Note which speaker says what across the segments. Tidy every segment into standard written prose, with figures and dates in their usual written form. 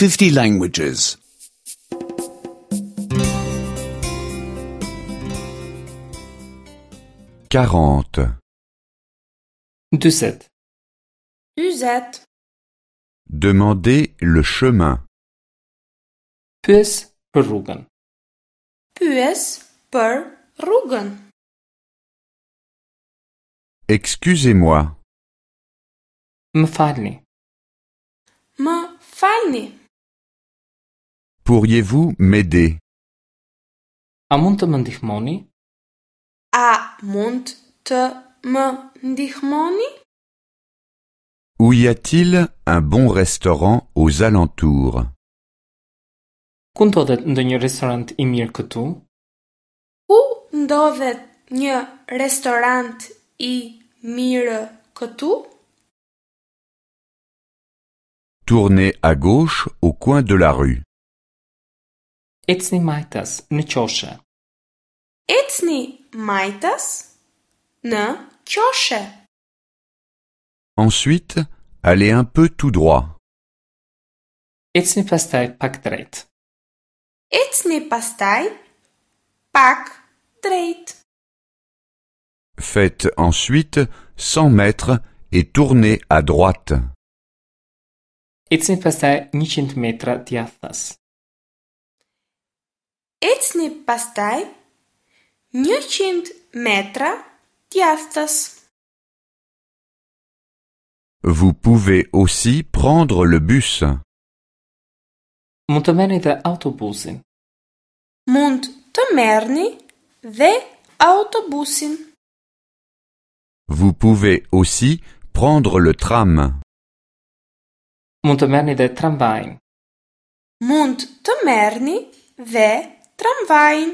Speaker 1: 50 languages.
Speaker 2: 40.
Speaker 3: 40.
Speaker 4: 40.
Speaker 2: Demandez le chemin.
Speaker 3: Pyes për rrugën.
Speaker 4: Pyes për rrugën.
Speaker 2: Excusez-moi.
Speaker 3: Më falni.
Speaker 4: Më falni.
Speaker 2: Pourriez-vous m'aider?
Speaker 3: A mund të më ndihmoni?
Speaker 4: A mund të më ndihmoni?
Speaker 2: Où y a-t-il un bon restaurant aux alentours?
Speaker 3: Ku ndodhet ndonjë restorant i mirë këtu?
Speaker 4: Ku ndodhet një restorant i mirë këtu?
Speaker 2: Tournez à gauche au coin de la rue.
Speaker 3: Ecni majtas në qoshe.
Speaker 4: Ecni majtas në qoshe.
Speaker 2: Ensuite, allez un peu tout droit.
Speaker 3: Ecni pastaj pak drejt.
Speaker 4: Ecni pastaj pak drejt.
Speaker 2: Faites ensuite 100 mètres et tournez à droite.
Speaker 3: Ecni pastaj 100 metra djathtas.
Speaker 4: Ecni pastaj 100 metra djathtas.
Speaker 2: Vous pouvez aussi prendre le bus.
Speaker 3: Mund të merrni dhe autobusin.
Speaker 4: Mund të merrni dhe autobusin.
Speaker 2: Vous pouvez aussi prendre le tram.
Speaker 3: Mund të merrni dhe tramvajin.
Speaker 4: Mund të merrni dhe tramvajin.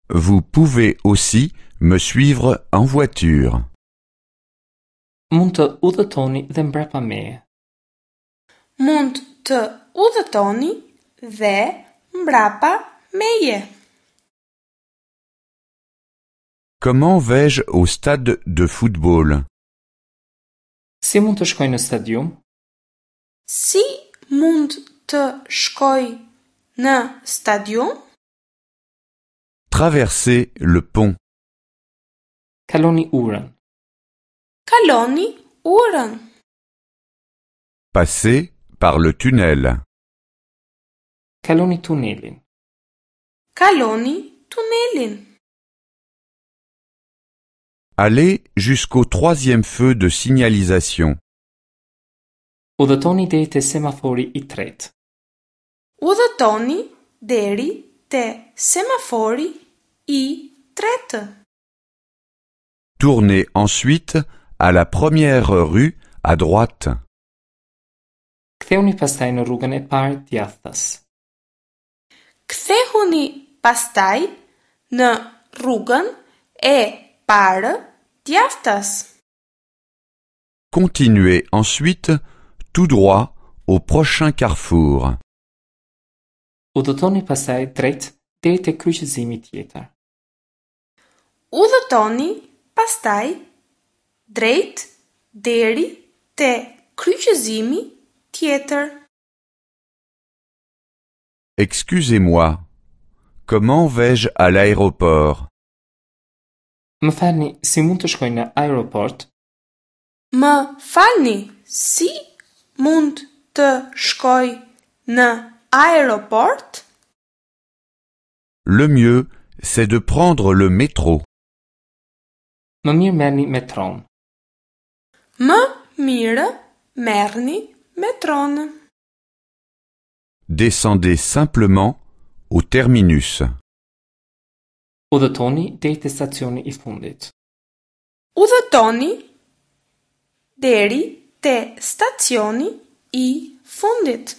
Speaker 2: Vous pouvez aussi me suivre en voiture.
Speaker 3: Mund të udhëtoni dhe mbrapa meje.
Speaker 4: Mund të udhëtoni dhe mbrapa meje.
Speaker 2: Comment vais-je au stade de football?
Speaker 3: Si mund të shkoj në stadium?
Speaker 4: Si mund të shkoj në stadium?
Speaker 2: Traversez le pont.
Speaker 3: Kaloni urën.
Speaker 4: Kaloni urën.
Speaker 2: Passez par le tunnel.
Speaker 3: Kaloni tunelin.
Speaker 4: Kaloni tunelin.
Speaker 2: Allez jusqu'au troisième feu de signalisation.
Speaker 3: Udhëtoni deri te semafori i tretë.
Speaker 4: Udhëtoni deri te semafori i tretë.
Speaker 2: Tournez ensuite à la première rue à droite.
Speaker 3: Kthehuni pastaj në rrugën e parë djathtas.
Speaker 4: Kthehuni pastaj në rrugën e parë djathtas.
Speaker 2: Continuez ensuite tout droit au prochain carrefour.
Speaker 3: Udhëtoni pastaj drejt deri te kryqëzimi tjetër.
Speaker 4: Udhëtoni pastaj drejt deri te kryqëzimi tjetër.
Speaker 2: Excusez-moi. Comment vais-je à l'aéroport?
Speaker 3: Më falni, si mund të shkoj në aeroport?
Speaker 4: Më falni, si mund të shkoj në aeroport?
Speaker 2: Le mieux, c'est de prendre le métro.
Speaker 3: Më mirë merrni metron.
Speaker 4: Më mirë merrni metron.
Speaker 2: Descendez simplement au terminus.
Speaker 3: Udhëtoni deri te stacioni i fundit.
Speaker 4: Udhëtoni deri te stacioni i fundit.